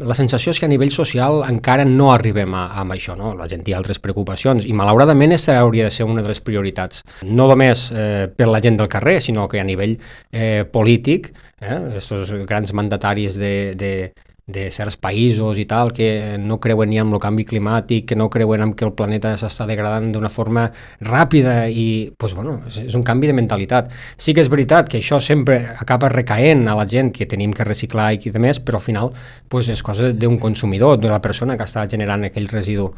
La sensació és que a nivell social encara no arribem a això, no? La gent té altres preocupacions i malauradament aquesta hauria de ser una de les prioritats, no només per la gent del carrer, sinó que a nivell polític, aquests grans mandataris de certs països i tal, que no creuen ni en el canvi climàtic, que no creuen en que el planeta s'està degradant d'una forma ràpida i, doncs, bueno, és un canvi de mentalitat. Sí que és veritat que això sempre acaba recaent a la gent que tenim que reciclar i de més, però al final doncs, és cosa d'un consumidor, de la persona que està generant aquell residu.